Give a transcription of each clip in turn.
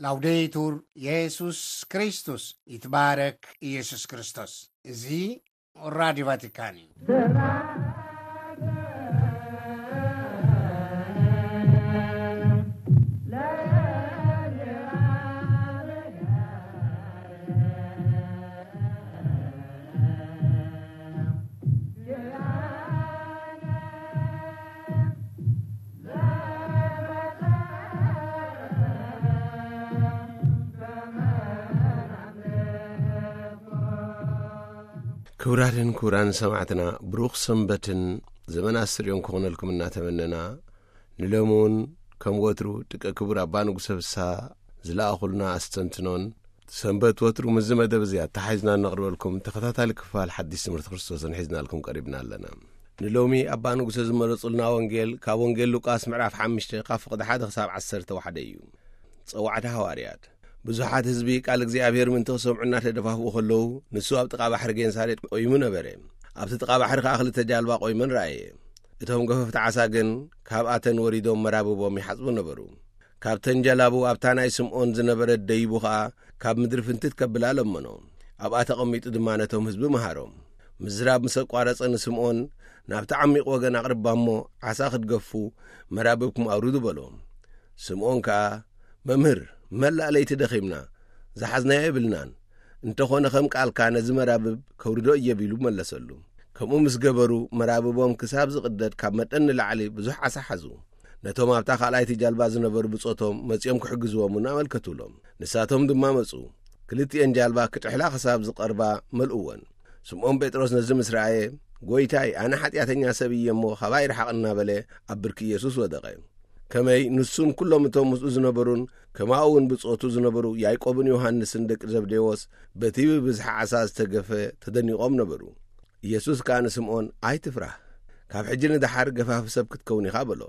ላውዴቱር የሱስ ክርስቶስ፣ ይትባረክ ኢየሱስ ክርስቶስ። እዚ ራዲዮ ቫቲካን እዩ። ክቡራትን ክቡራን ሰማዕትና፣ ብሩኽ ሰንበትን ዘመን ኣስርዮን ክኾነልኩም እናተመነና፣ ንሎሚ እውን ከም ወትሩ ደቂ ክቡር ኣባ ንጉሰ ፍስሃ ዝለኣኹልና ኣስተንትኖን፣ ሰንበት ወትሩ ምስዚ መደብ እዚ ኣተሓሒዝና እነቕርበልኩም ተኸታታሊ ክፋል ሓድሽ ትምህርቲ ክርስቶስን ሒዝናልኩም ቀሪብና ኣለና። ንሎሚ ኣባ ንጉሰ ዝመረጹልና ወንጌል ካብ ወንጌል ሉቃስ ምዕራፍ ሓሙሽተ ካብ ፍቕዲ ሓደ ክሳብ ዓሰርተ ሓደ እዩ። ጸዋዕታ ሃዋርያት። ብዙሓት ህዝቢ ቃል እግዚኣብሔር ምእንቲ ክሰምዑ እናተደፋፍኡ ከለዉ፣ ንሱ ኣብ ጥቓ ባሕሪ ጌንሳሬጥ ቆይሙ ነበረ። ኣብቲ ጥቓ ባሕሪ ከኣ ክልተ ጃልባ ቆይመን ረኣየ። እቶም ገፈፍቲ ዓሳ ግን ካብኣተን ወሪዶም መራብቦም ይሓጽቡ ነበሩ። ካብተን ጀላቡ ኣብታ ናይ ስምዖን ዝነበረት ደይቡ ኸኣ ካብ ምድሪ ፍንትት ከብላ ለመኖ። ኣብኣ ተቐሚጡ ድማ ነቶም ህዝቢ መሃሮም። ምዝራብ ምስ ኣቋረጸ ንስምዖን፣ "ናብቲ ዓሚቕ ወገን ኣቕርባ እሞ ዓሳ ክትገፉ መራብብኩም ኣውርዱ" በሎ። ስምዖን ከኣ፣ "መምህር፣ መላእ ለይቲ ደኺምና፣ ዝሓዝናዮ የብልናን። እንተኾነ ከም ቃልካ ነዚ መራብብ ከውርዶ እየ" ቢሉ መለሰሉ። ከምኡ ምስ ገበሩ መራብቦም ክሳብ ዝቕደድ ካብ መጠን ንላዕሊ ብዙሕ ዓሳ ሓዙ። ነቶም ኣብታ ካልኣይቲ ጃልባ ዝነበሩ ብጾቶም መጺኦም ክሕግዝዎም እውን ኣመልከቱሎም። ንሳቶም ድማ መጹ። ክልቲኤን ጃልባ ክጥሕላ ክሳብ ዝቐርባ መልእወን። ስምዖን ጴጥሮስ ነዚ ምስ ረኣየ፣ "ጐይታይ፣ ኣነ ሓጢኣተኛ ሰብ እየ እሞ፣ ካባይ ርሓቕ" እናበለ ኣብ ብርኪ ኢየሱስ ወደቐ። ከመይ ንሱን ኩሎም እቶም ምስኡ ዝነበሩን፣ ከማኡ እውን ብጾቱ ዝነበሩ ያዕቆብን ዮሃንስን ደቂ ዘብዴዎስ፣ በቲ ብብዝሒ ዓሳ ዝተገፈ ተደኒቖም ነበሩ። ኢየሱስ ከኣ ንስምዖን፣ "ኣይትፍራህ፣ ካብ ሕጂ ንደሓር ገፋፊ ሰብ ክትከውን ኢኻ" በሎ።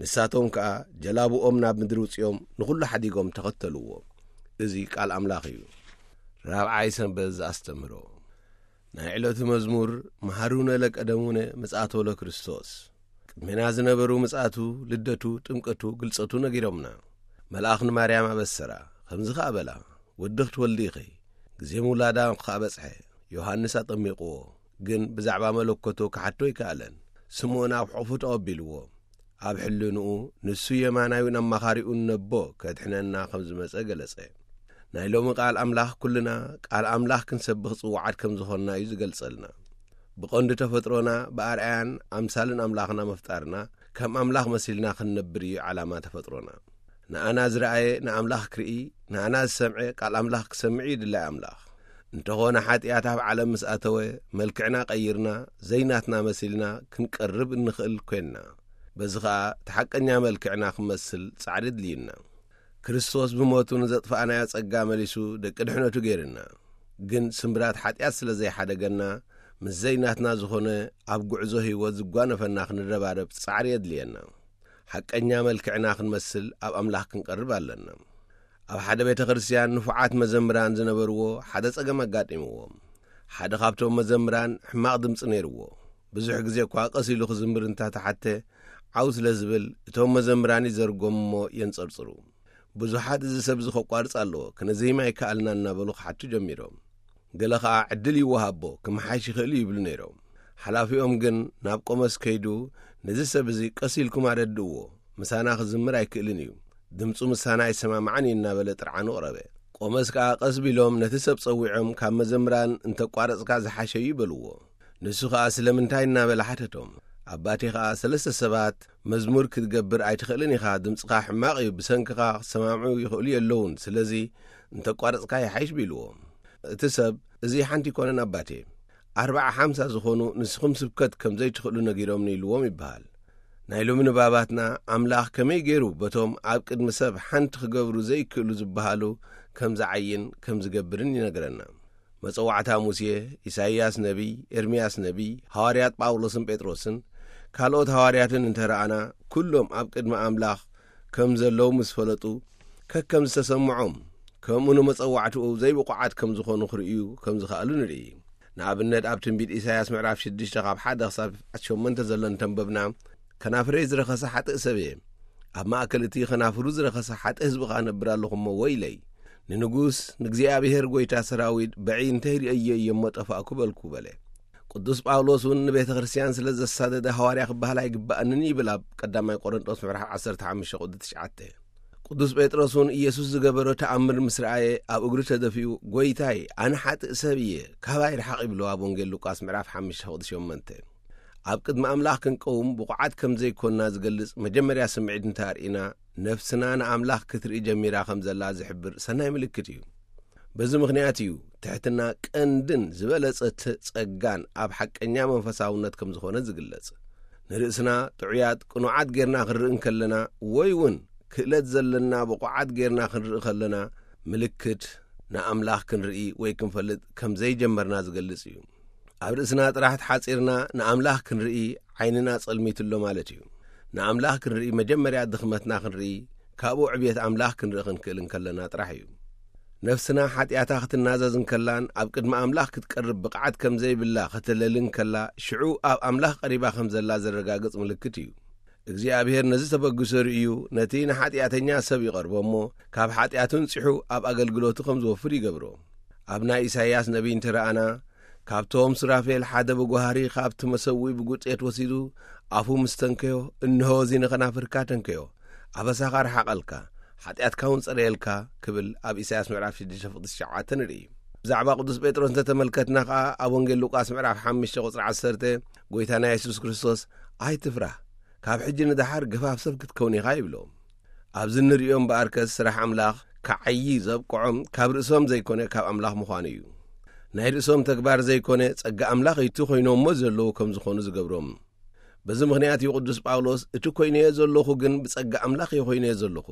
ንሳቶም ከኣ ጀላብኦም ናብ ምድሪ ውጺኦም ንኹሉ ሓዲጎም ተኸተልዎ። እዚ ቃል ኣምላኽ እዩ። ራብዓይ ሰንበት ዘኣስተምህሮ። ናይ ዕለቱ መዝሙር። መሃሩነ ለቀደሙነ ምጽኣቶ ለክርስቶስ። ቅድሜና ዝነበሩ ምጽኣቱ፣ ልደቱ፣ ጥምቀቱ፣ ግልጸቱ ነጊሮምና። መልኣኽ ንማርያም ኣበሰራ፣ ከምዚ ኸኣ በላ፣ "ወዲ ክትወልዲ ኢኺ፣ ግዜ ምውላዳ ከኣ በጽሐ፣ ዮሃንስ ኣጠሚቕዎ፣ ግን ብዛዕባ መለኮቱ ክሓቶ ኣይከኣለን። ስምኦን ኣብ ሕቑፉ ተቐቢልዎ። ኣብ ሕልንኡ ንሱ የማናዩን ኣማኻሪኡን ነቦ ከድሕነና ከም ዝመጸ ገለጸ።" ናይ ሎሚ ቃል ኣምላኽ ኩልና ቃል ኣምላኽ ክንሰብኽ ጽዋዓት ከም ዝኾንና እዩ ዝገልጸልና። ብቐንዱ ተፈጥሮና ብኣርኣያን ኣምሳልን ኣምላኽና ምፍጣርና፣ ከም ኣምላኽ መሲልና ክንነብር እዩ ዓላማ ተፈጥሮና። ንኣና ዝረኣየ ንኣምላኽ ክርኢ፣ ንኣና ዝሰምዐ ቃል ኣምላኽ ክሰምዕ እዩ ድላይ ኣምላኽ። እንተኾነ ሓጢኣት ኣብ ዓለም ምስ ኣተወ፣ መልክዕና ቀይርና፣ ዘይናትና መሲልና ክንቀርብ እንኽእል ኮይንና። በዚ ኸኣ እቲ ሓቀኛ መልክዕና ክመስል ጻዕሪ ኣድልዩና። ክርስቶስ ብሞቱ ንዘጥፋእናዮ ጸጋ መሊሱ ደቂ ድሕነቱ ገይርና። ግን ስምብራት ሓጢኣት ስለ ዘይሓደገና፣ ምስ ዘይናትና ዝኾነ ኣብ ጉዕዞ ህይወት ዝጓነፈና ክንረባረብ ጻዕሪ የድልየና። ሓቀኛ መልክዕና ክንመስል ኣብ ኣምላኽ ክንቀርብ ኣለና። ኣብ ሓደ ቤተ ክርስቲያን ንፉዓት መዘምራን ዝነበርዎ ሓደ ጸገም ኣጋጢምዎም። ሓደ ካብቶም መዘምራን ሕማቕ ድምጺ ነይርዎ። ብዙሕ ግዜ እኳ ቀስ ኢሉ ክዝምር እንተተሓተ፣ ዓው ስለ ዝብል፣ እቶም መዘምራን ይዘርጎም እሞ የንጸርጽሩ። ብዙሓት፣ "እዚ ሰብ እዚ ከቋርጽ ኣለዎ፣ ክነዘይም ኣይከኣልናን" እናበሉ ክሓቱ ጀሚሮም። ገለ ኸኣ፣ "ዕድል ይወሃቦ፣ ክመሓሽ ይኽእል እዩ" ይብሉ ነይሮም። ሓላፊኦም ግን ናብ ቆመስ ከይዱ፣ "ነዚ ሰብ እዚ ቀስ ኢልኩም ኣረድእዎ፣ ምሳና ክዝምር ኣይክእልን እዩ፣ ድምጹ ምሳና ኣይሰማማዕን እዩ" እናበለ ጥርዓኑ ኣቕረበ። ቆመስ ከኣ ቀስ ቢሎም ነቲ ሰብ ጸዊዖም፣ "ካብ መዘምራን እንተቋረጽካ ዝሓሸ እዩ" በልዎ። ንሱ ኸኣ ስለምንታይ እናበለ ሓተቶም። ኣባቴ ኸኣ ሰለስተ ሰባት፣ "መዝሙር ክትገብር ኣይትኽእልን ኢኻ፣ ድምጽኻ ሕማቕ እዩ፣ ብሰንክኻ ክሰማምዑ ይኽእሉ የለውን፣ ስለዚ እንተቋረጽካ ይሓይሽ" ቢልዎ። እቲ ሰብ፣ "እዚ ሓንቲ ኣይኮነን ኣባቴ፣ ኣርብዓ ሓምሳ ዝኾኑ ንስኹም ስብከት ከም ዘይትኽእሉ ነጊሮምኒ" ኢልዎም ይበሃል። ናይ ሎሚ ንባባትና ኣምላኽ ከመይ ገይሩ በቶም ኣብ ቅድሚ ሰብ ሓንቲ ክገብሩ ዘይክእሉ ዝበሃሉ ከም ዝዓይን ከም ዝገብርን ይነግረና። መጸዋዕታ ሙሴ፣ ኢሳይያስ ነቢይ፣ ኤርምያስ ነቢይ፣ ሃዋርያት ጳውሎስን ጴጥሮስን ካልኦት ሃዋርያትን እንተ ረኣና፣ ኩሎም ኣብ ቅድሚ ኣምላኽ ከም ዘለዉ ምስ ፈለጡ፣ ከከም ዝተሰምዖም፣ ከምኡ ንመጸዋዕትኡ ዘይብቑዓት ከም ዝኾኑ ክርእዩ ከም ዝኸኣሉ ንርኢ። ንኣብነት፣ ኣብ ትንቢት ኢሳይያስ ምዕራፍ ሽዱሽተ ካብ ሓደ ክሳብ ሸሞንተ ዘሎ እንተንበብና፣ "ከናፍረይ ዝረኸሰ ሓጥእ ሰብ እየ፣ ኣብ ማእከል እቲ ኸናፍሩ ዝረኸሰ ሓጥእ ህዝቢ ኸኣ ነብር ኣለኹ እሞ ወይለይ! ንንጉስ፣ ንእግዚኣብሔር ጐይታ ሰራዊት በዒ እንተ ርእየዮ እየ እሞ ጠፋእኩ በልኩ በለ። ቅዱስ ጳውሎስ እውን ንቤተ ክርስቲያን ስለ ዘሳደደ ሃዋርያ ክበሃል ኣይግባእንን ይብል ኣብ ቀዳማይ ቆሮንጦስ ምዕራፍ ዓሰርተ ሓሙሽተ ቁጽሪ ትሽዓተ። ቅዱስ ጴጥሮስ እውን ኢየሱስ ዝገበሮ ተኣምር ምስ ረኣየ ኣብ እግሩ ተደፊኡ፣ "ጐይታይ፣ ኣነ ሓጥእ ሰብ እየ፣ ካባይ ርሓቕ" ይብሎ ኣብ ወንጌል ሉቃስ ምዕራፍ ሓሙሽተ ቁጽሪ ሸሞንተ። ኣብ ቅድሚ ኣምላኽ ክንቀውም ብቑዓት ከም ዘይኮንና ዝገልጽ መጀመርያ ስምዒት እንተ ኣርኢና፣ ነፍስና ንኣምላኽ ክትርኢ ጀሚራ ከም ዘላ ዝሕብር ሰናይ ምልክት እዩ። በዚ ምኽንያት እዩ ትሕትና ቀንድን ዝበለጸ ተ-፣ ጸጋን ኣብ ሓቀኛ መንፈሳውነት ከም ዝኾነ ዝግለጽ። ንርእስና ጥዑያት ቅኑዓት ጌርና ክንርኢ እንከለና ወይ እውን ክእለት ዘለና ብቑዓት ጌርና ክንርኢ ከለና ምልክት ንኣምላኽ ክንርኢ ወይ ክንፈልጥ ከም ዘይጀመርና ዝገልጽ እዩ። ኣብ ርእስና ጥራሕ ተሓጺርና ንኣምላኽ ክንርኢ ዓይንና ጸልሚትሎ ማለት እዩ። ንኣምላኽ ክንርኢ መጀመርያ ድኽመትና ክንርኢ፣ ካብኡ ዕብየት ኣምላኽ ክንርኢ ክንክእል እንከለና ጥራሕ እዩ። ነፍስና ሓጢኣታ ክትናዘዝ እንከላን ኣብ ቅድሚ ኣምላኽ ክትቀርብ ብቕዓት ከም ዘይብላ ከተለሊ እንከላ፣ ሽዑ ኣብ ኣምላኽ ቀሪባ ከም ዘላ ዘረጋግጽ ምልክት እዩ። እግዚኣብሔር ነዚ ተበግሶ ርእዩ፣ ነቲ ንሓጢኣተኛ ሰብ ይቐርቦ እሞ፣ ካብ ሓጢኣቱ ንጺሑ ኣብ ኣገልግሎቱ ከም ዝወፍር ይገብሮ። ኣብ ናይ ኢሳይያስ ነቢይ እንተ ረኣና፣ ካብቶም ሱራፌል ሓደ ብጓህሪ ካብቲ መሰውኢ ብጉጤት ወሲዱ፣ ኣፉ ምስ ተንከዮ፣ "እንሆ እዚ ንኸናፍርካ ተንከዮ፣ ኣበሳኻ ርሓቐልካ፣ ሓጢኣትካ እውን ጸረየልካ" ክብል ኣብ ኢሳይያስ ምዕራፍ ሽዱሽተ ፍቕዲ ትሽዓተ ንርኢ። ብዛዕባ ቅዱስ ጴጥሮስ እንተተመልከትና ኸኣ፣ ኣብ ወንጌል ሉቃስ ምዕራፍ ሓሙሽተ ቁጽሪ ዓሰርተ፣ ጐይታና የሱስ ክርስቶስ፣ "ኣይትፍራህ፣ ካብ ሕጂ ንደሓር ገፋፍ ሰብ ክትከውን ኢኻ" ይብሎ። ኣብዚ እንርእዮ እምበኣርከስ፣ ስራሕ ኣምላኽ ክዓዪ ዘብቅዖም ካብ ርእሶም ዘይኮነ ካብ ኣምላኽ ምዃኑ እዩ። ናይ ርእሶም ተግባር ዘይኮነ ጸጋ ኣምላኽ እዩ እቲ ኮይኖሞ ዘለዉ ከም ዝኾኑ ዝገብሮም። በዚ ምኽንያት እዩ ቅዱስ ጳውሎስ፣ "እቲ ኮይነዮ ዘለኹ ግን ብጸጋ ኣምላኽ እየ ኮይነዮ ዘለኹ።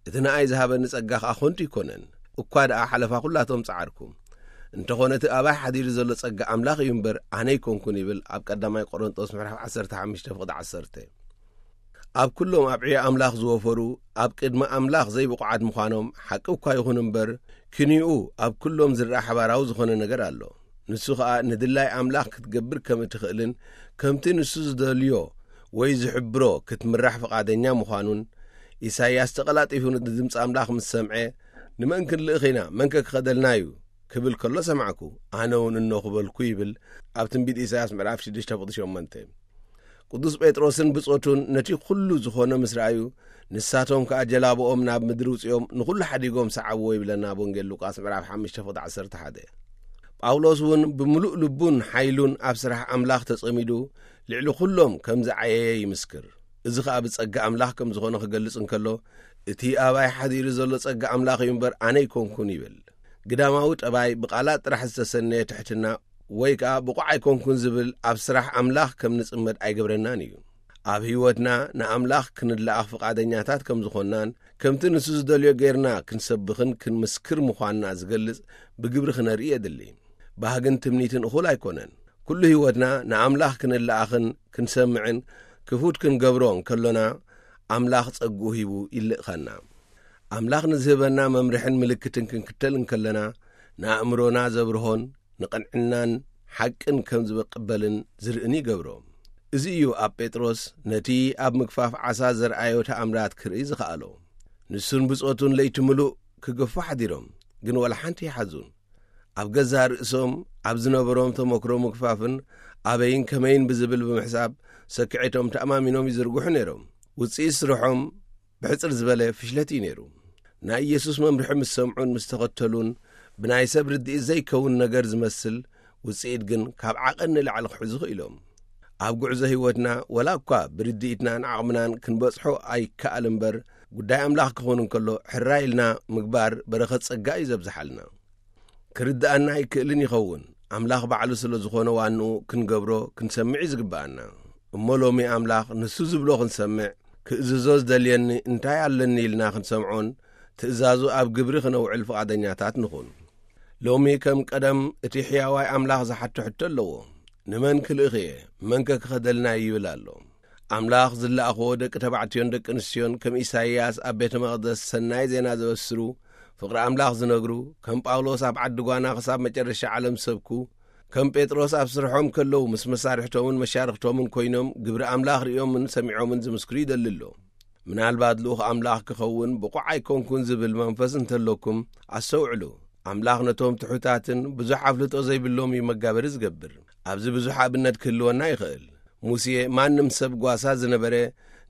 እቲ ንኣይ ዝሃበኒ ጸጋ ኸኣ ኸንቱ ኣይኮነን። እኳ ደኣ ሓለፋ ኹላቶም ጸዓርኩ። እንተኾነ እቲ ኣባይ ሓዲሩ ዘሎ ጸጋ ኣምላኽ እዩ እምበር ኣነ ኣይኮንኩን" ይብል ኣብ ቀዳማይ ቆሮንጦስ ምዕራፍ ዓሰርተ ሓሙሽተ ፍቕዲ ዓሰርተ። ኣብ ኩሎም ኣብ ዕዮ ኣምላኽ ዝወፈሩ፣ ኣብ ቅድሚ ኣምላኽ ዘይብቑዓት ምዃኖም ሓቂ እኳ ይኹን እምበር፣ ክንኡ ኣብ ኩሎም ዝረኣ ሓባራዊ ዝኾነ ነገር ኣሎ። ንሱ ኸኣ ንድላይ ኣምላኽ ክትገብር ከም እትኽእልን፣ ከምቲ ንሱ ዝደልዮ ወይ ዝሕብሮ ክትምራሕ ፍቓደኛ ምዃኑን፣ ኢሳይያስ ተቐላጢፉ ንድምጺ ኣምላኽ ምስ ሰምዐ፣ "ንመን ክንልእኽ ኢና? መንከ ክኸደልና እዩ?" ክብል ከሎ ሰማዕኩ። ኣነ እውን እነኹ በልኩ ይብል ኣብ ትንቢት ኢሳይያስ ምዕራፍ ሽዱሽተ ፍቕዲ ሸሞንተ። ቅዱስ ጴጥሮስን ብጾቱን ነቲ ኩሉ ዝኾነ ምስ ረኣዩ፣ ንሳቶም ከኣ ጀላብኦም ናብ ምድሪ ውጺኦም ንኹሉ ሓዲጎም ሰዓብዎ ይብለና ኣብ ወንጌል ሉቃስ ምዕራፍ ሓሙሽተ ፍቕዲ ዓሰርተ ሓደ። ጳውሎስ እውን ብምሉእ ልቡን ሓይሉን ኣብ ስራሕ ኣምላኽ ተጸሚዱ፣ ልዕሊ ኩሎም ከም ዝዓየየ ይምስክር። እዚ ኸኣ ብጸጋ ኣምላኽ ከም ዝኾነ ክገልጽ እንከሎ፣ "እቲ ኣባይ ሓዲሩ ዘሎ ጸጋ ኣምላኽ እዩ እምበር ኣነ ኣይኮንኩን" ይብል። ግዳማዊ ጠባይ ብቓላት ጥራሕ ዝተሰነየ ትሕትና ወይ ከኣ ብቑዕ ኣይኮንኩን ዝብል ኣብ ስራሕ ኣምላኽ ከም ንጽመድ ኣይገብረናን እዩ። ኣብ ህይወትና ንኣምላኽ ክንለኣኽ ፍቓደኛታት ከም ዝኾንናን ከምቲ ንሱ ዝደልዮ ጌርና ክንሰብኽን ክንምስክር ምዃንና ዝገልጽ ብግብሪ ክነርኢ የድሊ። ባህግን ትምኒትን እኹል ኣይኮነን። ኩሉ ህይወትና ንኣምላኽ ክንለኣኽን ክንሰምዕን ክፉት ክንገብሮ እንከሎና፣ ኣምላኽ ጸግኡ ሂቡ ይልእኸና። ኣምላኽ ንዝህበና መምርሕን ምልክትን ክንክተል እንከለና፣ ንኣእምሮና ዘብርሆን ንቕንዕናን ሓቅን ከም ዝቕበልን ዝርእን ይገብሮ። እዚ እዩ ኣብ ጴጥሮስ ነቲ ኣብ ምግፋፍ ዓሳ ዘርኣዮ ተኣምራት ክርኢ ዝኸኣሎ። ንሱን ብጾቱን ለይቲ ምሉእ ክገፉ ሓዲሮም፣ ግን ወላ ሓንቲ ይሓዙን። ኣብ ገዛእ ርእሶም ኣብ ዝነበሮም ተመክሮ ምግፋፍን ኣበይን ከመይን ብዝብል ብምሕሳብ ሰኪዔቶም ተኣማሚኖም ይዝርግሑ ነይሮም። ውጽኢት ስርሖም ብሕጽር ዝበለ ፍሽለት እዩ ነይሩ። ናይ ኢየሱስ መምርሒ ምስ ሰምዑን ምስ ተኸተሉን ብናይ ሰብ ርድኢት ዘይከውን ነገር ዝመስል ውጽኢት ግን ካብ ዓቐን ንላዕሊ ክሕዙ ክኢሎም። ኣብ ጉዕዞ ህይወትና ወላ እኳ ብርድኢትናን ዓቕምናን ክንበጽሖ ኣይከኣል እምበር፣ ጉዳይ ኣምላኽ ክኸውን እንከሎ ሕራይ ኢልና ምግባር በረኸት ጸጋ እዩ ዘብዝሓልና። ክርድኣና ኣይክእልን ይኸውን። ኣምላኽ ባዕሉ ስለ ዝኾነ ዋንኡ ክንገብሮ ክንሰምዕ እዩ ዝግብኣና። እሞ ሎሚ ኣምላኽ ንሱ ዝብሎ ክንሰምዕ፣ ክእዝዞ ዝደልየኒ እንታይ ኣለኒ ኢልና ክንሰምዖን ትእዛዙ ኣብ ግብሪ ክነውዕል ፍቓደኛታት ንኹን። ሎሚ ከም ቀደም እቲ ሕያዋይ ኣምላኽ ዝሓቶ ሕቶ ኣለዎ። "ንመን ክልእኽ እየ? መንከ ክኸደልና እዩ?" ይብል ኣሎ። ኣምላኽ ዝለኣኽዎ ደቂ ተባዕትዮን ደቂ ኣንስትዮን ከም ኢሳይያስ ኣብ ቤተ መቕደስ ሰናይ ዜና ዘበስሩ፣ ፍቕሪ ኣምላኽ ዝነግሩ፣ ከም ጳውሎስ ኣብ ዓዲ ጓና ክሳብ መጨረሻ ዓለም ዝሰብኩ፣ ከም ጴጥሮስ ኣብ ስርሖም ከለዉ ምስ መሳርሕቶምን መሻርኽቶምን ኮይኖም ግብሪ ኣምላኽ ርእዮምን ሰሚዖምን ዝምስክሩ ይደሊ ኣሎ። ምናልባት ልኡኽ ኣምላኽ ክኸውን ብቑዕ ኣይኮንኩን ዝብል መንፈስ እንተለኩም ኣስተውዕሉ። ኣምላኽ ነቶም ትሑታትን ብዙሕ ኣፍልጦ ዘይብሎም እዩ መጋበሪ ዝገብር። ኣብዚ ብዙሕ ኣብነት ክህልወና ይኽእል። ሙሴ ማንም ሰብ ጓሳ ዝነበረ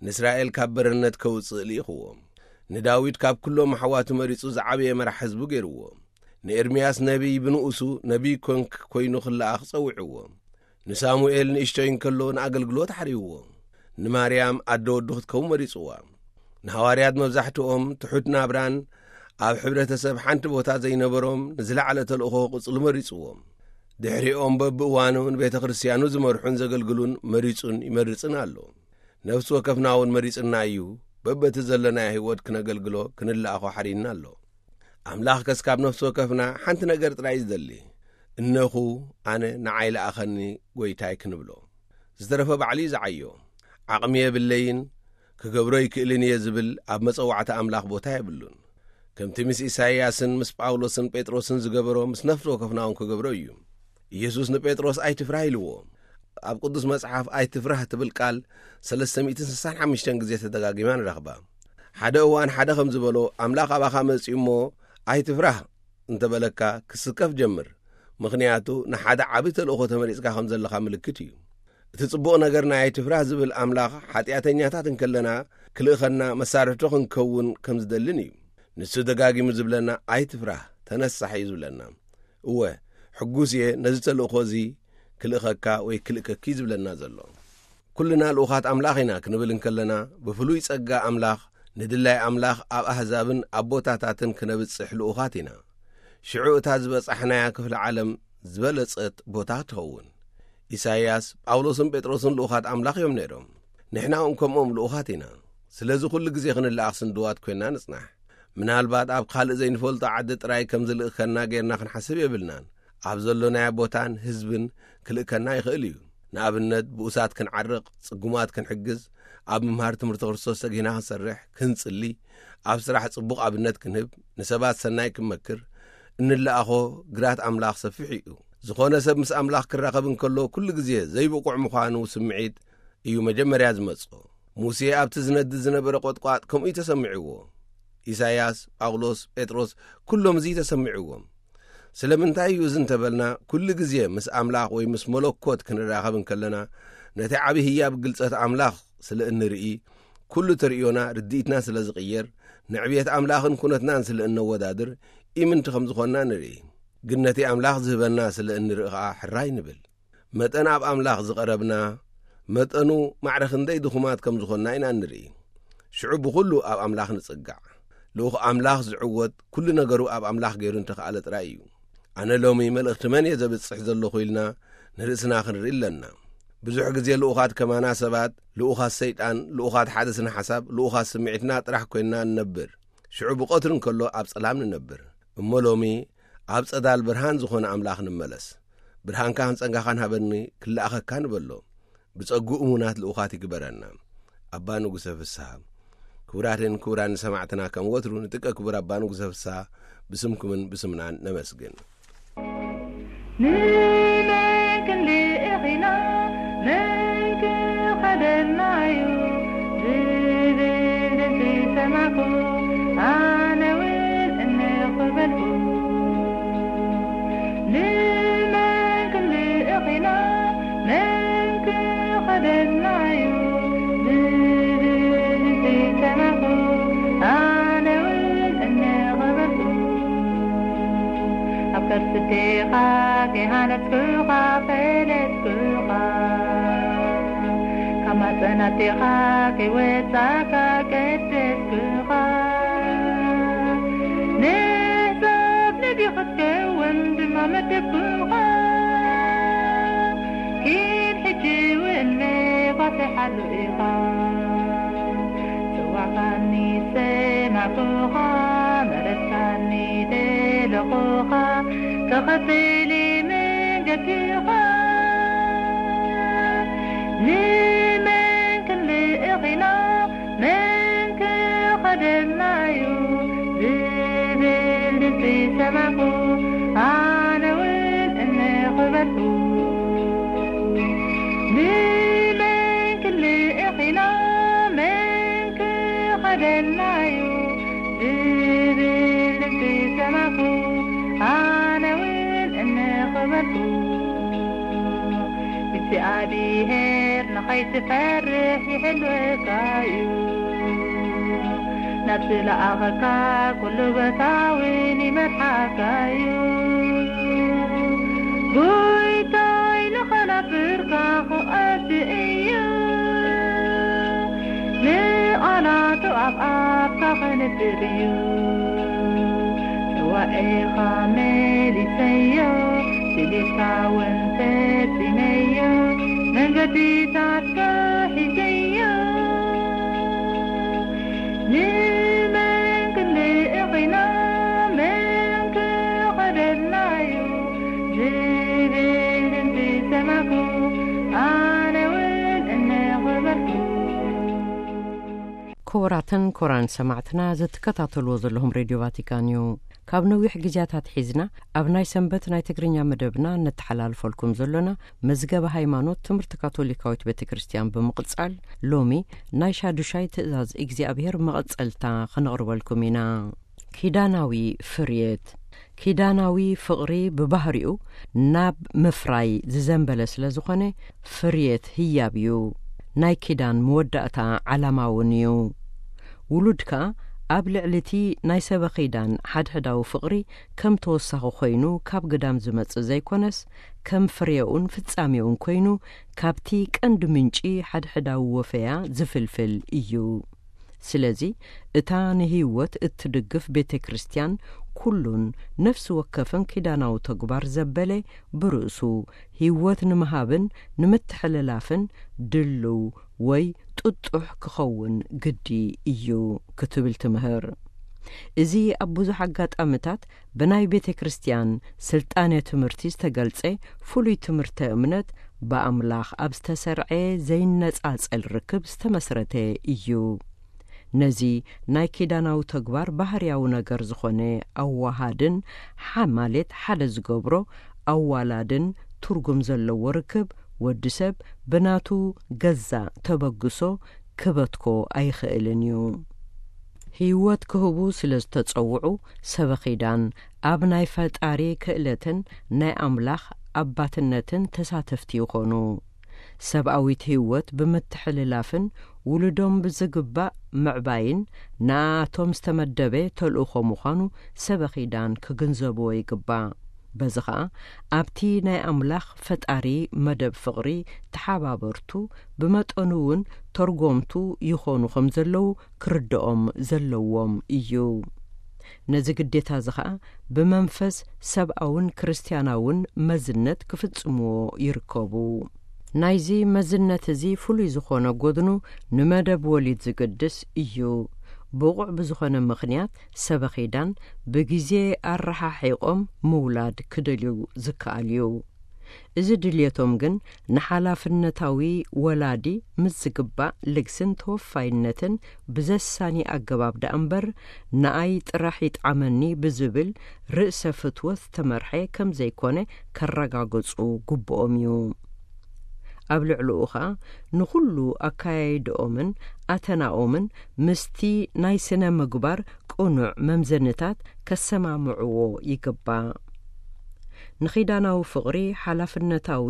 ንእስራኤል ካብ በረነት ከውጽእ ልኢኽዎ። ንዳዊት ካብ ኩሎም ኣሕዋቱ መሪጹ ዝዓበየ መራሕ ህዝቡ ገይርዎ። ንኤርምያስ ነቢይ ብንኡሱ ነቢይ ኮንክ ኮይኑ ክለኣኽ ጸዊዕዎ። ንሳሙኤል ንእሽቶይ እንከሎ ንኣገልግሎት ሓርይዎ። ንማርያም ኣደ ወዱ ክትከውን መሪጽዋ። ንሃዋርያት መብዛሕትኦም ትሑት ናብራን ኣብ ሕብረተሰብ ሓንቲ ቦታ ዘይነበሮም ንዝለዓለ ተልእኾ ቅጽሉ መሪጽዎም። ድሕሪኦም በብእዋኑ ንቤተ ክርስቲያኑ ዝመርሑን ዘገልግሉን መሪጹን ይመርጽን ኣሎ። ነፍሲ ወከፍና እውን መሪጽና እዩ። በበቲ ዘለናዮ ህይወት ክነገልግሎ ክንለኣኾ ሓሪና ኣሎ። ኣምላኽ ከስካብ ነፍሲ ወከፍና ሓንቲ ነገር ጥራይ እዩ ዝደሊ። እነኹ ኣነ ንዓይ ለኣኸኒ ጎይታይ ክንብሎ። ዝተረፈ ባዕሉ እዩ ዝዓዮ። ዓቕሚ የብለይን፣ ክገብሮ ይክእልን እየ ዝብል ኣብ መጸዋዕታ ኣምላኽ ቦታ የብሉን። ከምቲ ምስ ኢሳይያስን ምስ ጳውሎስን ጴጥሮስን ዝገበሮ ምስ ነፍሲ ወከፍና እውን ክገብሮ እዩ። ኢየሱስ ንጴጥሮስ ኣይትፍራህ ኢልዎ። ኣብ ቅዱስ መጽሓፍ ኣይትፍራህ ትብል ቃል ሰለስተ ሚእትን ስሳን ሓሙሽተን ግዜ ተደጋጊማ ንረኽባ። ሓደ እዋን ሓደ ከም ዝበሎ ኣምላኽ ኣባኻ መጺኡ እሞ ኣይትፍራህ እንተበለካ ክስከፍ ጀምር። ምኽንያቱ ንሓደ ዓቢ ተልእኾ ተመሪጽካ ከም ዘለኻ ምልክት እዩ። እቲ ጽቡቕ ነገር ናይ ኣይትፍራህ ዝብል ኣምላኽ ሓጢኣተኛታት እንከለና ክልእኸና መሳርሕቱ ክንከውን ከም ዝደልን እዩ። ንሱ ደጋጊሙ ዝብለና ኣይትፍራህ ተነሳሕ እዩ ዝብለና። እወ ሕጉስ እየ ነዚ ተልእኾ እዚ ክልእኸካ ወይ ክልእከኪ ዝብለና ዘሎ። ኩልና ልኡኻት ኣምላኽ ኢና ክንብል እንከለና ብፍሉይ ጸጋ ኣምላኽ ንድላይ ኣምላኽ ኣብ ኣህዛብን ኣብ ቦታታትን ክነብጽሕ ልኡኻት ኢና። ሽዑ እታ ዝበጻሕናያ ክፍሊ ዓለም ዝበለጸት ቦታ ትኸውን። ኢሳይያስ፣ ጳውሎስን ጴጥሮስን ልኡኻት ኣምላኽ እዮም ነይሮም። ንሕና እውን ከምኦም ልኡኻት ኢና። ስለዚ ኩሉ ግዜ ክንለኣኽ ስንድዋት ኮይና ንጽናሕ። ምናልባት ኣብ ካልእ ዘይንፈልጦ ዓዲ ጥራይ ከም ዝልእከና ጌርና ክንሓስብ የብልናን። ኣብ ዘሎናዮ ቦታን ህዝብን ክልእከና ይኽእል እዩ። ንኣብነት ብኡሳት ክንዓርቕ፣ ጽጉማት ክንሕግዝ፣ ኣብ ምምሃር ትምህርቲ ክርስቶስ ተጊህና ክንሰርሕ፣ ክንጽሊ፣ ኣብ ስራሕ ጽቡቕ ኣብነት ክንህብ፣ ንሰባት ሰናይ ክንመክር፣ እንለኣኾ ግራት ኣምላኽ ሰፊሕ እዩ። ዝኾነ ሰብ ምስ ኣምላኽ ክራኸብ እንከሎ ኩሉ ግዜ ዘይብቑዕ ምዃኑ ስምዒት እዩ መጀመርያ ዝመጽኦ። ሙሴ ኣብቲ ዝነድድ ዝነበረ ቆጥቋጥ ከምኡ እዩ ተሰሚዕዎ። ኢሳይያስ፣ ጳውሎስ፣ ጴጥሮስ ኩሎም እዚ እዩ ተሰሚዕዎም። ስለምንታይ እዩ እዚ እንተበልና ኩሉ ግዜ ምስ ኣምላኽ ወይ ምስ መለኮት ክንራኸብ እንከለና ነቲ ዓቢ ህያብ ግልጸት ኣምላኽ ስለ እንርኢ ኩሉ ተርእዮና ርድኢትና ስለ ዝቕየር ንዕብየት ኣምላኽን ኩነትናን ስለ እነወዳድር ኢምንቲ ከም ዝኾንና ንርኢ። ግን ነቲ ኣምላኽ ዝህበና ስለ እንርኢ ኸኣ ሕራይ ንብል። መጠን ኣብ ኣምላኽ ዝቐረብና መጠኑ ማዕረ ክንደይ ድኹማት ከም ዝኾንና ኢና እንርኢ። ሽዑ ብኹሉ ኣብ ኣምላኽ ንጽጋዕ። ልኡኽ ኣምላኽ ዝዕወት ኩሉ ነገሩ ኣብ ኣምላኽ ገይሩ እንተኸኣለ ጥራይ እዩ። ኣነ ሎሚ መልእኽቲ መን እየ ዘብጽሕ ዘለኹ ኢልና ንርእስና ክንርኢ ኣለና። ብዙሕ ግዜ ልኡኻት ከማና ሰባት ልኡኻት ሰይጣን ልኡኻት ሓደ ስነ ሓሳብ ልኡኻት ስምዒትና ጥራሕ ኮይንና ንነብር። ሽዑ ብቐትሪ እንከሎ ኣብ ጸላም ንነብር። እሞ ሎሚ ኣብ ጸዳል ብርሃን ዝኾነ ኣምላኽ ንመለስ። ብርሃንካን ጸጋኻን ሃበኒ ክለኣኸካ ንበሎ። ብጸጉ እሙናት ልኡኻት ይግበረና። ኣባ ንጉሰ ፍስሃ። ክቡራትን ክቡራን ሰማዕትና ከም ወትሩ ንጥቀ ክቡር ኣባ ንጉሰ ፍስሃ ብስምኩምን ብስምናን ነመስግን። ንመን ክንልእኽ ኢና መን ክኸደና እዩ ዝብል ድምፂ ሰማዕኩ ኣነ እውን እንኽ በልኩ። ንመን ክንልእኽ ኢና መን ክኸደና እዩ ዝብል ድምፂ ሰማዕኩ ኣነ እውን እንኽ በልኩ። ኣብ ከርሲ ኣዴኻ ከይሃነጽኩኻ ፈለጥኩኻ ካብ ማፀን ኣዴኻ ከይወፃእካ ቀደስኩኻ ንሕሳብ ነቢ ክትከውን ድማ መደብኩኻ ኪድ ሕጂ እውን መባፅሓሉ ኢኻ ጽዋዕካኒ ሰማዕኩኻ መረፅካኒ ደለኹኻ ተኸተሊ መንገድኻ ንመን ክንልእኽ ኢና መን ክኸደና እዩ ዝብል ድምፂ ሰማዕኩ ኣነ እውን እንኽበልኩ ንመን ክንልእኽ ኢና መን እግዚኣብሔር ንኸይትፈርሕ ይሕልወካ እዩ። ናብ ዝለኣኸካ ኩሉ ቦታ እውን ይመርሓካ እዩ። ጎይታይ ንኸነፍርካ ክቐድ እዩ። ንቓላቱ ኣብ ኣፍካ ከንብር እዩ። ጽዋኤኻ መሊሰዮ፣ ስሌትካ እውን ፈጺመዮ፣ መንገድታትካ ሒዘዮ። ንመን ክንልእኽ ኢና፣ መን ክኸደልና እዩ? ዝብል ድምጺ ሰማዕኩ፣ ኣነ እውን እነኾበልኩ። ክቡራትን ክቡራን ሰማዕትና፣ ዝትከታተልዎ ዘለኹም ሬድዮ ቫቲካን እዩ። ካብ ነዊሕ ግዜያት ኣትሒዝና ኣብ ናይ ሰንበት ናይ ትግርኛ መደብና እነተሓላልፈልኩም ዘሎና መዝገበ ሃይማኖት ትምህርቲ ካቶሊካዊት ቤተ ክርስቲያን ብምቕጻል፣ ሎሚ ናይ ሻዱሻይ ትእዛዝ እግዚኣብሔር መቐጸልታ ኸነቕርበልኩም ኢና። ኪዳናዊ ፍርየት። ኪዳናዊ ፍቕሪ ብባህሪኡ ናብ ምፍራይ ዝዘንበለ ስለ ዝኾነ፣ ፍርየት ህያብ እዩ። ናይ ኪዳን መወዳእታ ዓላማ እውን እዩ። ውሉድ ከኣ ኣብ ልዕሊ እቲ ናይ ሰበ ኺዳን ሓድሕዳዊ ፍቕሪ ከም ተወሳኺ ኮይኑ ካብ ግዳም ዝመጽእ ዘይኮነስ፣ ከም ፍሬኡን ፍጻሜኡን ኮይኑ ካብቲ ቀንዲ ምንጪ ሓድሕዳዊ ወፈያ ዝፍልፍል እዩ። ስለዚ እታ ንህይወት እትድግፍ ቤተ ክርስቲያን ኩሉን ነፍሲ ወከፍን ኪዳናዊ ተግባር ዘበለ ብርእሱ ህይወት ንምሃብን ንምትሕልላፍን ድልው ወይ ጥጡሕ ክኸውን ግዲ እዩ ክትብል ትምህር። እዚ ኣብ ብዙሕ ኣጋጣምታት ብናይ ቤተ ክርስቲያን ስልጣነ ትምህርቲ ዝተገልጸ ፍሉይ ትምህርተ እምነት ብኣምላኽ ኣብ ዝተሰርዐ ዘይነጻጸል ርክብ ዝተመስረተ እዩ። ነዚ ናይ ኪዳናዊ ተግባር ባህርያዊ ነገር ዝኾነ ኣዋሃድን ሓ-፣ ማለት ሓደ ዝገብሮ ኣዋላድን ትርጉም ዘለዎ ርክብ ወዲ ሰብ ብናቱ ገዛእ ተበግሶ ክበትኮ ኣይኽእልን እዩ። ህይወት ክህቡ ስለ ዝተጸውዑ ሰበ ኺዳን ኣብ ናይ ፈጣሪ ክእለትን ናይ ኣምላኽ ኣባትነትን ተሳተፍቲ ይኾኑ። ሰብኣዊት ህይወት ብምትሕልላፍን ውሉዶም ብዝግባእ ምዕባይን ንኣቶም ዝተመደበ ተልእኾ ምዃኑ ሰበ ኺዳን ክግንዘብዎ ይግባእ። በዚ ኸኣ ኣብቲ ናይ ኣምላኽ ፈጣሪ መደብ ፍቕሪ ተሓባበርቱ፣ ብመጠኑ እውን ተርጎምቱ ይኾኑ ከም ዘለዉ ክርድኦም ዘለዎም እዩ። ነዚ ግዴታ እዚ ኸኣ ብመንፈስ ሰብኣውን ክርስትያናውን መዝነት ክፍጽምዎ ይርከቡ። ናይዚ መዝነት እዚ ፍሉይ ዝኾነ ጎድኑ ንመደብ ወሊድ ዝግድስ እዩ። ብቑዕ ብዝኾነ ምኽንያት ሰበ ኺዳን ብግዜ ኣረሓሒቖም ምውላድ ክደልዩ ዝከኣል እዩ። እዚ ድልየቶም ግን ንሓላፍነታዊ ወላዲ ምስ ዝግባእ ልግስን ተወፋይነትን ብዘሳኒ ኣገባብ ደኣ እምበር፣ ንኣይ ጥራሕ ይጥዓመኒ ብዝብል ርእሰ ፍትወት ዝተመርሐ ከም ዘይኮነ ከረጋግጹ ግብኦም እዩ። ኣብ ልዕሊኡ ኸኣ ንኹሉ ኣካያይድኦምን ኣተናኦምን ምስቲ ናይ ስነ ምግባር ቅኑዕ መምዘንታት ከሰማምዕዎ ይግባእ። ንኺዳናዊ ፍቕሪ ሓላፍነታዊ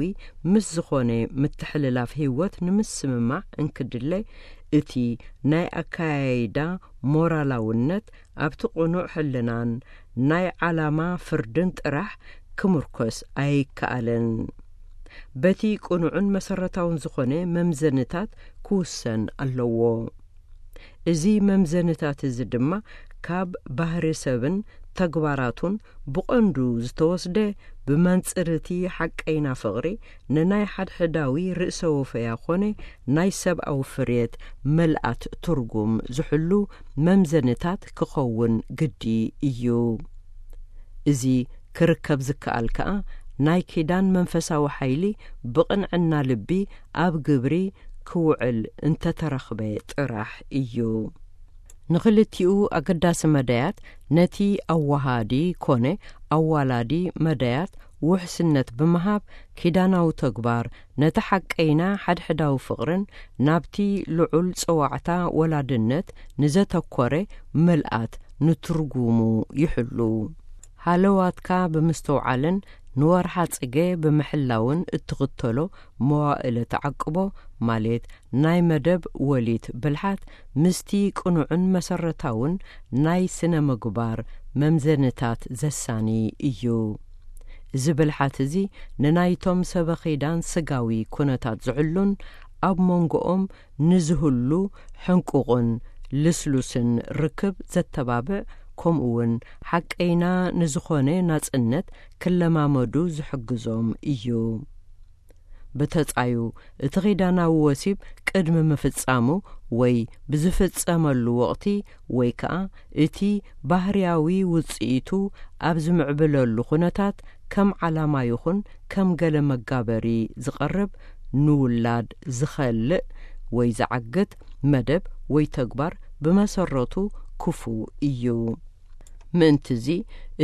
ምስ ዝኾነ ምትሕልላፍ ህይወት ንምስምማዕ እንክድለ፣ እቲ ናይ ኣካያይዳ ሞራላውነት ኣብቲ ቅኑዕ ሕልናን ናይ ዓላማ ፍርድን ጥራሕ ክምርኮስ ኣይከኣልን። በቲ ቅኑዕን መሰረታውን ዝኾነ መምዘንታት ክውሰን ኣለዎ። እዚ መምዘንታት እዚ ድማ ካብ ባህሪ ሰብን ተግባራቱን ብቐንዱ ዝተወስደ፣ ብመንጽር እቲ ሓቀይና ፍቕሪ ንናይ ሓድሕዳዊ ርእሰ ወፈያ ኾነ ናይ ሰብኣዊ ፍርየት ምልኣት ትርጉም ዝሕሉ መምዘንታት ክኸውን ግዲ እዩ። እዚ ክርከብ ዝከኣል ከኣ ናይ ኪዳን መንፈሳዊ ሓይሊ ብቕንዕና ልቢ ኣብ ግብሪ ክውዕል እንተተረኽበ ጥራሕ እዩ። ንኽልቲኡ ኣገዳሲ መዳያት፣ ነቲ ኣዋሃዲ ኮነ ኣዋላዲ መዳያት ውሕስነት ብምሃብ፣ ኪዳናዊ ተግባር ነቲ ሓቀይና ሓድሕዳዊ ፍቕርን ናብቲ ልዑል ጸዋዕታ ወላድነት ንዘተኮረ ምልኣት ንትርጉሙ ይሕሉ። ሃለዋትካ ብምስትውዓልን ንወርሓ ጽገ ብምሕላውን እትኽተሎ መዋእለ ተዓቅቦ፣ ማለት ናይ መደብ ወሊት ብልሓት፣ ምስቲ ቅኑዕን መሰረታውን ናይ ስነ ምግባር መምዘንታት ዘሳኒ እዩ። እዚ ብልሓት እዚ ንናይቶም ሰበኺዳን ስጋዊ ኩነታት ዝሕሉን ኣብ መንጎኦም ንዝህሉ ሕንቁቕን ልስሉስን ርክብ ዘተባብዕ፣ ከምኡውን ሓቀይና ንዝኾነ ናጽነት ክለማመዱ ዝሕግዞም እዩ። ብተጻዩ፣ እቲ ኺዳናዊ ወሲብ ቅድሚ ምፍጻሙ ወይ ብዝፍጸመሉ ወቕቲ፣ ወይ ከኣ እቲ ባህርያዊ ውጽኢቱ ኣብ ዝምዕብለሉ ኩነታት፣ ከም ዓላማ ይኹን ከም ገለ መጋበሪ ዝቐርብ፣ ንውላድ ዝኸልእ ወይ ዝዓግት መደብ ወይ ተግባር ብመሰረቱ ክፉእ እዩ። ምእንትዚ፣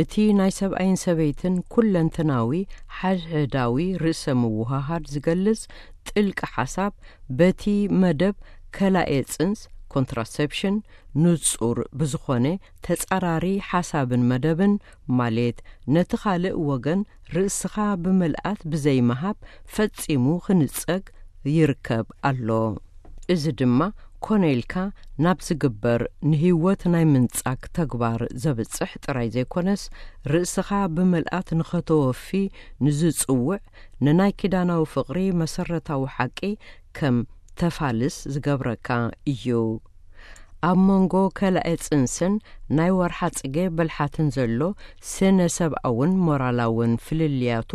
እቲ ናይ ሰብኣይን ሰበይትን ኩለንተናዊ ሓድሕዳዊ ርእሰ ምውሃሃድ ዝገልጽ ጥልቂ ሓሳብ፣ በቲ መደብ ከላኤ ጽንስ፣ ኮንትራሰፕሽን፣ ንጹር ብዝኾነ ተጻራሪ ሓሳብን መደብን፣ ማለት ነቲ ካልእ ወገን ርእስኻ ብምልኣት ብዘይምሃብ፣ ፈጺሙ ክንጸግ ይርከብ ኣሎ። እዚ ድማ ኮነ ኢልካ ናብ ዝግበር ንህይወት ናይ ምንጻግ ተግባር ዘብጽሕ ጥራይ ዘይኮነስ፣ ርእስኻ ብምልኣት ንኸተወፊ ንዝጽውዕ ንናይ ኪዳናዊ ፍቕሪ መሰረታዊ ሓቂ ከም ተፋልስ ዝገብረካ እዩ። ኣብ መንጎ ከላኤ ጽንስን ናይ ወርሓ ጽገ ብልሓትን ዘሎ ስነ ሰብኣውን ሞራላውን ፍልልያቱ፣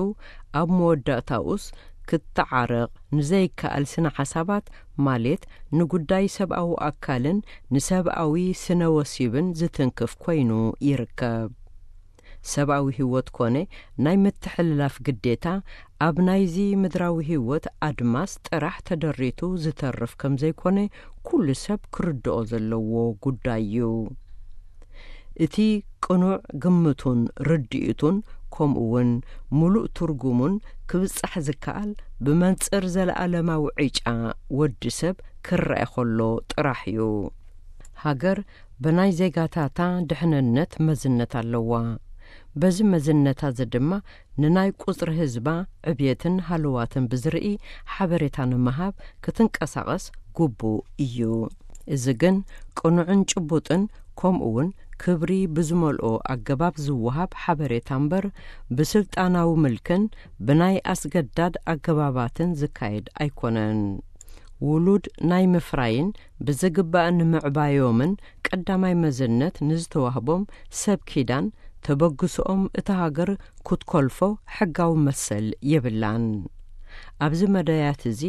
ኣብ መወዳእታኡስ ክትዓረቕ ንዘይከኣል ስነ ሓሳባት፣ ማለት ንጉዳይ ሰብኣዊ ኣካልን ንሰብኣዊ ስነ ወሲብን ዝትንክፍ ኮይኑ ይርከብ። ሰብኣዊ ህይወት ኮነ ናይ ምትሕልላፍ ግዴታ፣ ኣብ ናይዚ ምድራዊ ህይወት ኣድማስ ጥራሕ ተደሪቱ ዝተርፍ ከም ዘይኮነ፣ ኩሉ ሰብ ክርድኦ ዘለዎ ጉዳይ እዩ። እቲ ቅኑዕ ግምቱን ርድኢቱን፣ ከምኡውን ምሉእ ትርጉሙን ክብጻሕ ዝከኣል፣ ብመንጽር ዘለኣለማዊ ዕጫ ወዲ ሰብ ክረአ ከሎ ጥራሕ እዩ። ሃገር ብናይ ዜጋታታ ድሕንነት መዝነት ኣለዋ። በዚ መዝነታ እዚ ድማ፣ ንናይ ቁጽሪ ህዝባ ዕብየትን ሃለዋትን ብዝርኢ ሓበሬታ ንምሃብ ክትንቀሳቐስ ግቡእ እዩ። እዚ ግን ቅኑዕን ጭቡጥን፣ ከምኡውን ክብሪ ብዝመልኦ ኣገባብ ዝወሃብ ሓበሬታ እምበር፣ ብስልጣናዊ ምልክን ብናይ ኣስገዳድ ኣገባባትን ዝካየድ ኣይኮነን። ውሉድ ናይ ምፍራይን ብዝግባእ ንምዕባዮምን ቀዳማይ መዝነት ንዝተዋህቦም ሰብ ኪዳን፣ ተበግሶኦም እታ ሃገር ክትኮልፎ ሕጋዊ መሰል የብላን። ኣብዚ መዳያት እዚ፣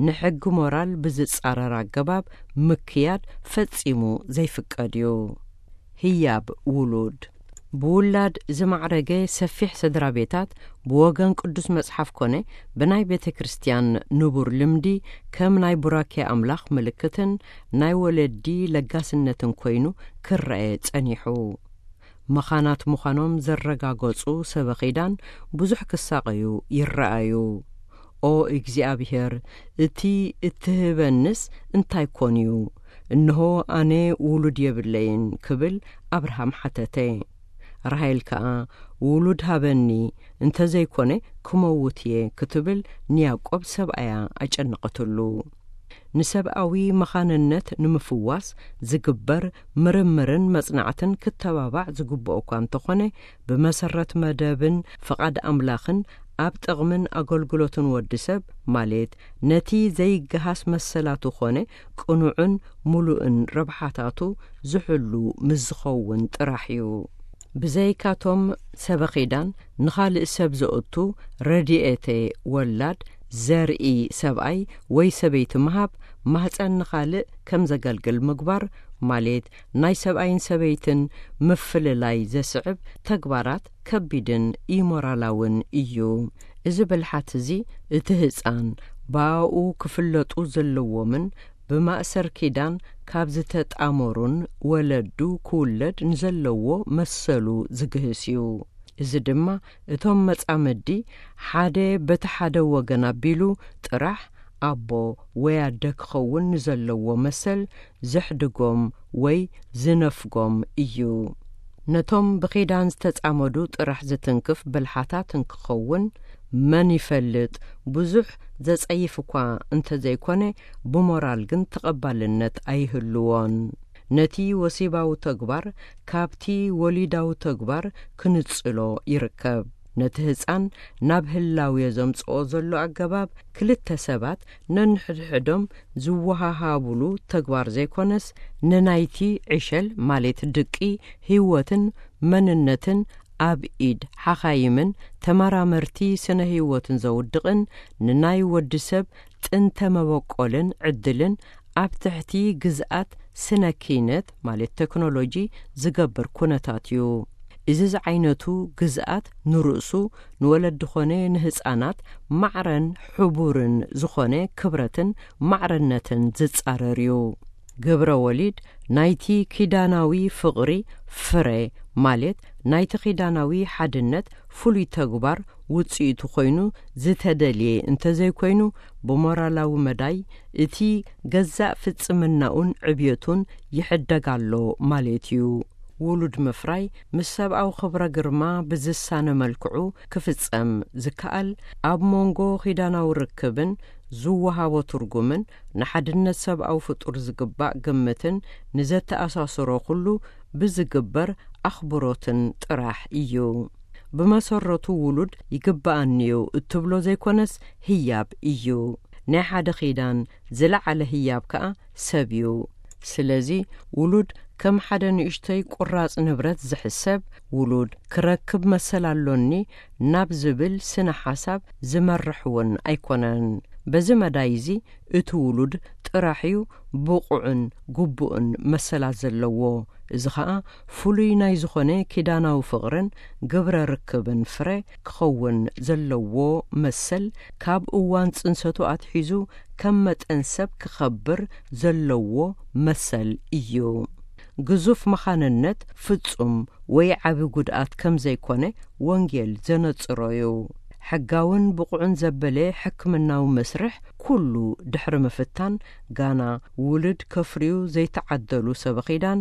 ንሕጊ ሞራል ብዝጻረር ኣገባብ ምክያድ ፈጺሙ ዘይፍቀድ እዩ። ህያብ ውሉድ። ብውላድ ዝማዕረገ ሰፊሕ ስድራ ቤታት፣ ብወገን ቅዱስ መጽሓፍ ኮነ ብናይ ቤተ ክርስቲያን ንቡር ልምዲ፣ ከም ናይ ቡራኬ ኣምላኽ ምልክትን ናይ ወለዲ ለጋስነትን ኮይኑ ክረአ ጸኒሑ። መኻናት ምዃኖም ዘረጋገጹ ሰበኺዳን ብዙሕ ክሳቐዩ ይረኣዩ። "ኦ እግዚኣብሔር፣ እቲ እትህበንስ እንታይ ኮን እዩ? እንሆ፣ ኣነ ውሉድ የብለይን" ክብል ኣብርሃም ሓተተ። ራሄል ከኣ፣ "ውሉድ ሃበኒ፣ እንተ ዘይኮነ ክመውት እየ" ክትብል ንያዕቆብ ሰብኣያ ኣጨነቐትሉ። ንሰብኣዊ መኻንነት ንምፍዋስ ዝግበር ምርምርን መጽናዕትን ክተባባዕ ዝግብኦ እኳ እንተኾነ፣ ብመሰረት መደብን ፍቓድ ኣምላኽን ኣብ ጥቕምን ኣገልግሎትን ወዲ ሰብ፣ ማለት ነቲ ዘይገሃስ መሰላቱ ኾነ ቅኑዕን ምሉእን ረብሓታቱ ዝሕሉ ምስ ዝኸውን ጥራሕ እዩ። ብዘይካቶም ሰበኺዳን ንኻልእ ሰብ ዘእቱ ረድኤተ ወላድ ዘርኢ ሰብኣይ ወይ ሰበይቲ ምሃብ፣ ማህፀን ንኻልእ ከም ዘገልግል ምግባር፣ ማለት ናይ ሰብኣይን ሰበይትን ምፍልላይ ዘስዕብ ተግባራት ከቢድን ኢሞራላውን እዩ። እዚ ብልሓት እዚ፣ እቲ ህፃን ብኣኡ ክፍለጡ ዘለዎምን ብማእሰር ኪዳን ካብ ዝተጣመሩን ወለዱ ክውለድ ንዘለዎ መሰሉ ዝግህስ እዩ። እዚ ድማ፣ እቶም መጻምዲ ሓደ በቲ ሓደ ወገን ኣቢሉ ጥራሕ ኣቦ ወይ ኣደ ክኸውን ንዘለዎ መሰል ዘሕድጎም ወይ ዝነፍጎም እዩ። ነቶም ብኺዳን ዝተጻመዱ ጥራሕ ዝትንክፍ ብልሓታት እንክኸውን መን ይፈልጥ? ብዙሕ ዘጸይፍ እኳ እንተዘይኮነ፣ ብሞራል ግን ተቐባልነት ኣይህልዎን። ነቲ ወሲባዊ ተግባር ካብቲ ወሊዳዊ ተግባር ክንጽሎ ይርከብ። ነቲ ህጻን ናብ ህላውዮ ዘምጽኦ ዘሎ ኣገባብ፣ ክልተ ሰባት ነንሕድሕዶም ዝወሃሃቡሉ ተግባር ዘይኮነስ፣ ንናይቲ ዕሸል፣ ማለት ድቂ፣ ህይወትን መንነትን ኣብ ኢድ ሓኻይምን ተመራመርቲ ስነ ህይወትን ዘውድቕን፣ ንናይ ወዲ ሰብ ጥንተ መበቆልን ዕድልን ኣብ ትሕቲ ግዝኣት ስነ ኪነት፣ ማለት ቴክኖሎጂ፣ ዝገብር ኩነታት እዩ። እዚ ዝዓይነቱ ግዝኣት ንርእሱ፣ ንወለዲ ኾነ ንህጻናት ማዕረን ሕቡርን ዝኾነ ክብረትን ማዕርነትን ዝጻረር እዩ። ግብረ ወሊድ ናይቲ ኪዳናዊ ፍቕሪ ፍረ፣ ማለት ናይቲ ኪዳናዊ ሓድነት ፍሉይ ተግባር ውጽኢቱ ኮይኑ ዝተደልየ እንተዘይኮይኑ፣ ብሞራላዊ መዳይ እቲ ገዛእ ፍጽምናኡን ዕብየቱን ይሕደግ ኣሎ ማለት እዩ። ውሉድ ምፍራይ ምስ ሰብኣዊ ክብረ ግርማ ብዝሳነ መልክዑ ክፍጸም ዝከኣል፣ ኣብ መንጎ ኪዳናዊ ርክብን ዝወሃቦ ትርጉምን ንሓድነት ሰብኣዊ ፍጡር ዝግባእ ግምትን ንዘተኣሳስሮ ኩሉ ብዝግበር ኣኽብሮትን ጥራሕ እዩ። ብመሰረቱ ውሉድ ይግበኣኒዩ እትብሎ ዘይኮነስ ህያብ እዩ። ናይ ሓደ ኪዳን ዝለዓለ ህያብ ከኣ ሰብ እዩ። ስለዚ ውሉድ ከም ሓደ ንእሽቶይ ቁራጽ ንብረት ዝሕሰብ፣ ውሉድ ክረክብ መሰል ኣሎኒ ናብ ዝብል ስነ ሓሳብ ዝመርሕ እውን ኣይኮነን። በዚ መዳይ እዚ እቲ ውሉድ ጥራሕ እዩ ብቑዕን ግቡእን መሰላት ዘለዎ። እዚ ኸኣ ፍሉይ ናይ ዝኾነ ኪዳናዊ ፍቕርን ግብረ ርክብን ፍረ ክኸውን ዘለዎ መሰል፣ ካብ እዋን ጽንሰቱ ኣትሒዙ ከም መጠን ሰብ ክኸብር ዘለዎ መሰል እዩ። ግዙፍ መኻንነት ፍጹም ወይ ዓቢ ጉድኣት ከም ዘይኮነ ወንጌል ዘነጽሮ እዩ። ሕጋውን ብቑዕን ዘበለ ሕክምናዊ መስርሕ ኩሉ ድሕሪ ምፍታን፣ ጋና ውሉድ ከፍርዩ ዘይተዓደሉ ሰበኺዳን፣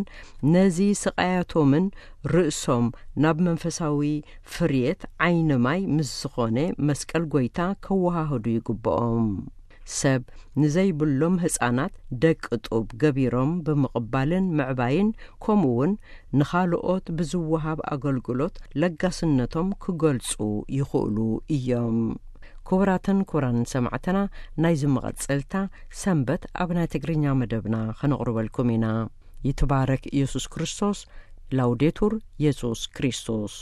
ነዚ ስቓያቶምን ርእሶም ናብ መንፈሳዊ ፍርየት ዓይኒ ማይ ምስ ዝኾነ መስቀል ጐይታ ከወሃህዱ ይግብኦም። ሰብ ንዘይብሎም ህጻናት ደቂ ጡብ ገቢሮም ብምቕባልን ምዕባይን፣ ከምኡውን ንኻልኦት ብዝወሃብ ኣገልግሎት ለጋስነቶም ክገልጹ ይኽእሉ እዮም። ክቡራትን ክቡራንን ሰማዕትና፣ ናይዚ መቐጸልታ ሰንበት ኣብ ናይ ትግርኛ መደብና ከነቕርበልኩም ኢና። ይትባረክ ኢየሱስ ክርስቶስ። ላውዴቱር ኢየሱስ ክርስቶስ።